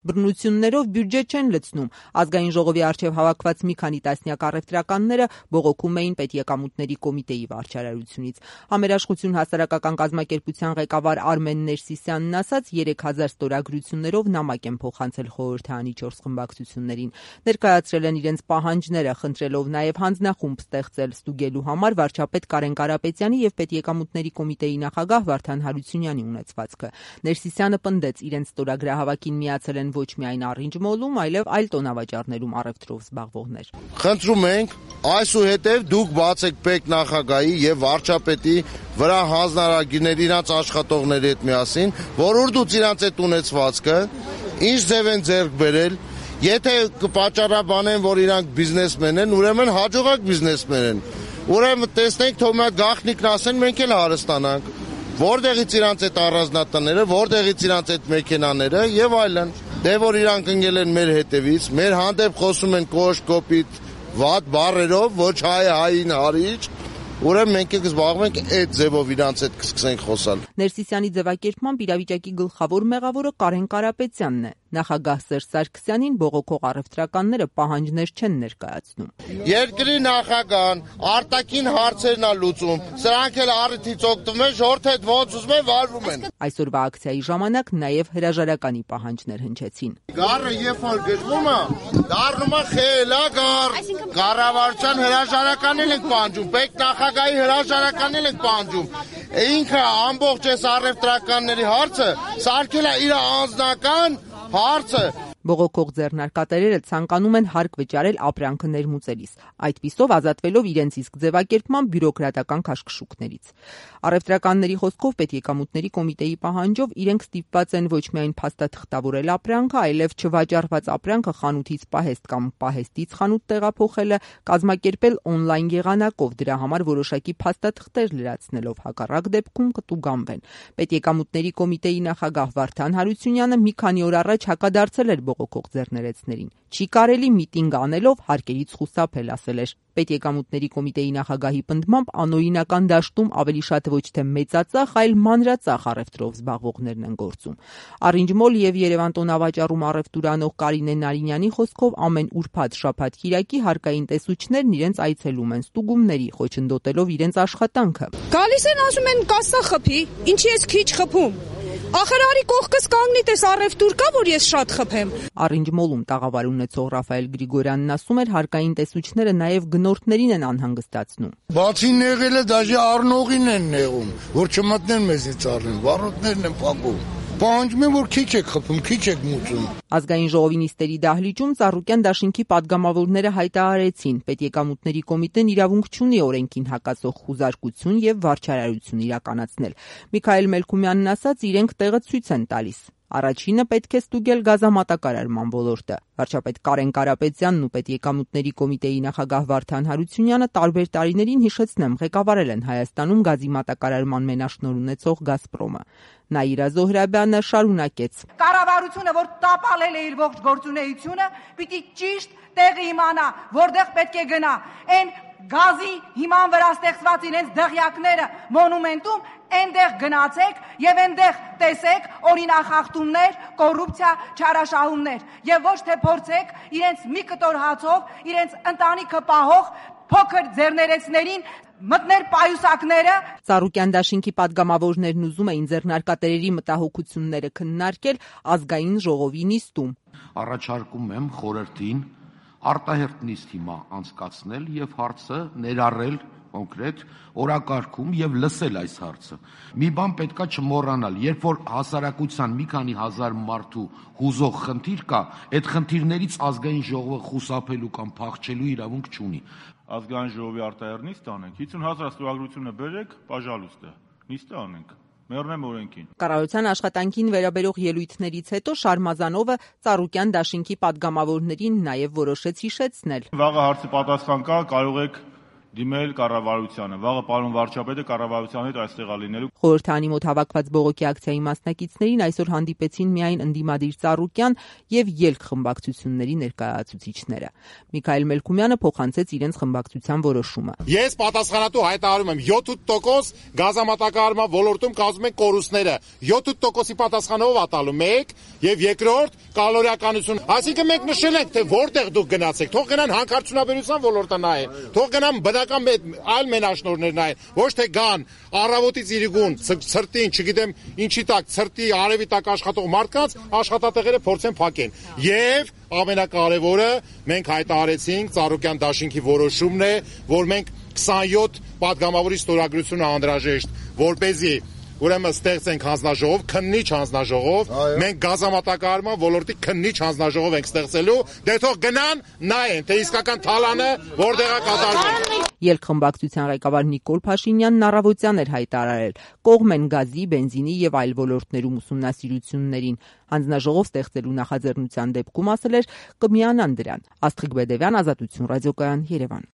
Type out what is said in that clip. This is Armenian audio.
Բռնություններով բյուջե չեն լցնում։ Ազգային ժողովի առջև հավաքված մի քանի տասնյակ առևտրականները բողոքում էին պետեկամուտների կոմիտեի վարչարարությունից։ Համերաշխություն հասարակական կազմակերպության ղեկավար Արմեն Ներսիսյանն ասաց, 3000 ստորագրություններով նամակ են փոխանցել խորհրդարանի 4 խմբակցություններին։ Ներկայացրել են իրենց պահանջները, խնդրելով նաև հանձնախումբ ստեղծել ստուգելու համար վարչապետ Կարեն Կարապետյանի և պետեկամուտների կոմիտեի նախագահ Վարդան Հարությունյանի ունեցվածքը։ Ներսիսյանը պնդեց, իրենց ստորագրահավաքին միացել են ոչ միայն առինջմոլում, այլև այլ տոնավաճառներում առևտրով զբաղվողներ։ Խնդրում ենք, այսուհետև դուք բացեք պետնախագահի եւ վարչապետի վրա հանձնարարագիրներ իրանց աշխատողների հետ միասին, որորդուց իրանց այդ ունեցվածքը ինչ ձև են ձեռք բերել, եթե կպատճառաբանեն, որ իրանք բիզնեսմեն են, ուրեմն հաջողակ բիզնեսմեն են։ Ուրեմն տեսնենք, թող մի գաղտնիքն ասեն, մենք էլ հարստանանք։ Որտեղից իրանց այդ առանձնատները, որտեղից իրանց այդ մեքենաները եւ այլն։ Դե որ իրանք ընկել են մեր հետևից, մեր հանդեպ խոսում են կոշտ, կոպիտ, վատ բառերով, ոչ հայ հային հարիչ, ուրեմն մենք կզբաղվենք այդ ձևով իրանց հետ կսկսենք խոսալ։ Ներսիսյանի ձևակերպմամբ իրավիճակի գլխավոր մեղավորը Կարեն Կարապետյանն է։ Նախագահ Սերժ Սարգսյանին բողոքող առևտրականները պահանջներ չեն ներկայացնում։ Երկրի նախագահան արտաքին հարցերն է լուծում, սրանք էլ առիթից օգտվում են, ժողովրդի հետ ոնց ուզում են վարվում են։ Այսօրվա ակցիայի ժամանակ նաև հրաժարականի պահանջներ հնչեցին։ Գառը երբ որ գժվում է, դառնում է խելագար։ Կառավարության հրաժարականն ենք պահանջում, պետնախագահի հրաժարականն ենք պահանջում։ Ինքը ամբողջ այս առևտրականների հարցը սարքել է իր անձնական հարցը։ Բողոքող ձեռնարկատերերը ցանկանում են հարկ վճարել ապրանքը ներմուծելիս, այդպիսով ազատվելով իրենց իսկ ձևակերպման բյուրոկրատական քաշքշուկներից։ Առևտրականների խոսքով պետեկամուտների կոմիտեի պահանջով իրենք ստիպված են ոչ միայն փաստաթղթավորել ապրանքը, այլև չվաճառված ապրանքը խանութից պահեստ կամ պահեստից խանութ տեղափոխելը, կազմակերպել օնլայն եղանակով, դրա համար որոշակի փաստաթղթեր լրացնելով, հակառակ դեպքում կտուգանվեն։ Պետեկամուտների կոմիտեի նախագահ Վարդան Հարությունյանը մի քանի օր առաջ հակադարձել էր բողոքող ձեռներեցներին։ Չի կարելի միտինգ անելով հարկերից խուսափել, ասել էր։ Պետեկամուտների կոմիտեի նախագահի պնդմամբ անօրինական դաշտում ավելի շատ ոչ թե մեծածախ, այլ մանրածախ առևտրով զբաղվողներն են գործում։ Առինջմոլ եւ Երևան տոնավաճառում առևտուր անող Կարինե Նարինյանի խոսքով ամեն ուրբաթ, շաբաթ-կիրակի հարկային տեսուչներն իրենց այցելում են ստուգումների, խոչընդոտելով իրենց աշխատանքը։ Գալիս են, ասում են կասա խփի, ինչի ես քիչ խփում։ Ախր արի կողքս կանգնի, տես առևտուր կա, որ ես շատ խփեմ։ Առինջմոլում տաղավար ունեցող Ռաֆայել Գրիգորյանն ասում էր, հարկային տեսուչները նաև գնորդներին են անհանգստացնում։ Բացի նեղելը դաժե առնողին են նեղում, որ չմտնեն մեզից առնեն, վառոդներն են փակում։ Պահանջում են, որ քիչ եք խփում, քիչ եք մուծում։ Ազգային ժողովի նիստերի դահլիճում Ծառուկյան դաշինքի падգամավորները հայտարարեցին, պետեկամուտների կոմիտեն իրավունք չունի օրենքին հակասող խուզարկություն եւ վարչարարություն իրականացնել։ Միքայել Մելքումյանն ասաց, իրենք տեղը ցույց են տալիս։ Առաջինը պետք է ստուգել գազամատակարարման ոլորտը։ Վարչապետ Կարեն Կարապետյանն ու պետեկամուտների կոմիտեի նախագահ Վարդան Հարությունյանը տարբեր տարիներին, հիշեցնեմ, ղեկավարել են Հայաստանում գազի մատակարարման մենաշնորհ ունեցող Գազպրոմը։ Նաիրա Զոհրաբյանը շարունակեց. Կառավարությունը, որ տապալել է իր ողջ գործունեությունը, պիտի ճիշտ տեղը իմանա, որտեղ պետք է գնա։ Այն գազի հիման վրա ստեղծված իրենց դղյակները մոնումենտում այնտեղ գնացեք եւ այնտեղ տեսեք օրինախախտումներ, կոռուպցիա, չարաշահումներ եւ ոչ թե փորձեք իրենց մի կտոր հացով իրենց ընտանիքը պահող փոքր ձեռներեցներին մտներ պայուսակները։ Ծառուկյան դաշինքի падգամավորներն ուզում էին ձեռնարկատերերի մտահոգությունները քննարկել ազգային ժողովի նիստում։ Առաջարկում եմ խորհրդին արտահերթ նիստ հիմա անցկացնել եւ հարցը ներառել կոնկրետ օրակարգում եւ լսել այս հարցը։ Մի բան պետքա չմոռանալ, երբ որ հասարակության մի քանի հազար մարդու հուզող խնդիր կա, այդ խնդիրներից ազգային ժողովը խուսափելու կամ փախչելու իրավունք չունի։ Ազգային ժողովի արտահերթ նիստ անենք, 50,000 ստորագրությունը բերեք, պաժալուստ է, նիստը անենք։ Մեռնեմ օրենքին։ Կառավարության աշխատանքին վերաբերող ելույթներից հետո Շարմազանովը Ծառուկյան դաշինքի падգամավորներին նաև որոշեց հիշեցնել. Վաղը հարցի պատասխան կա, կարող եք դիմել կառավարությանը։ Վաղը պարոն վարչապետը կառավարության հետ այստեղ լինելու։ Խորհրդանի մոտ հավաքված բողոքի ակցիայի մասնակիցներին այսօր հանդիպեցին միայն ընդդիմադիր Ծառուկյան եւ ելք խմբակցությունների ներկայացուցիչները։ Միքայել Մելքումյանը փոխանցեց իրենց խմբակցության որոշումը։ Ես պատասխանատու հայտարարում եմ 7% գազամատակարարման ոլորտում կազմում են կորուստները։ 7%-ի պատասխանով ատալու 1 եւ երկրորդ կալորիականություն։ Այսինքն մենք նշել ենք, թե որտեղ դուք գնացեք։ Թող գնան հանքարդյունաբերության ոլորտը նայեն։ Թող գնան բնական այլ մենաշնորհներ նայեն։ Ոչ թե գան առավոտից իրիկուն ցրտին, չգիտեմ ինչի տակ, ցրտի արևի տակ աշխատող մարդկանց աշխատատեղերը փորձեն փակեն։ Եվ ամենակարևորը մենք հայտարարեցինք Ծառուկյան դաշինքի որոշումն է, որ մենք 27 падգամավորի ստորագրությունը անհրաժեշտ, որպեսզի ուրեմն ստեղծենք հանձնաժողով, քննիչ հանձնաժողով, մենք գազամատակարարման ոլորտի քննիչ հանձնաժողով ենք ստեղծելու, դե թող գնան նայեն, թե իսկական թալանը որտեղ է կատարվում։ Ելք խմբակցության ղեկավար Նիկոլ Փաշինյանն առավոտյան էր հայտարարել, կողմ են գազի, բենզինի եւ այլ ոլորտներում ուսումնասիրություններին։ Հանձնաժողով ստեղծելու նախաձեռնության դեպքում ասել էր կմիանան դրան։ Աստղիկ Բեդևյան, Ազատություն ռադիոկայան, Երևան։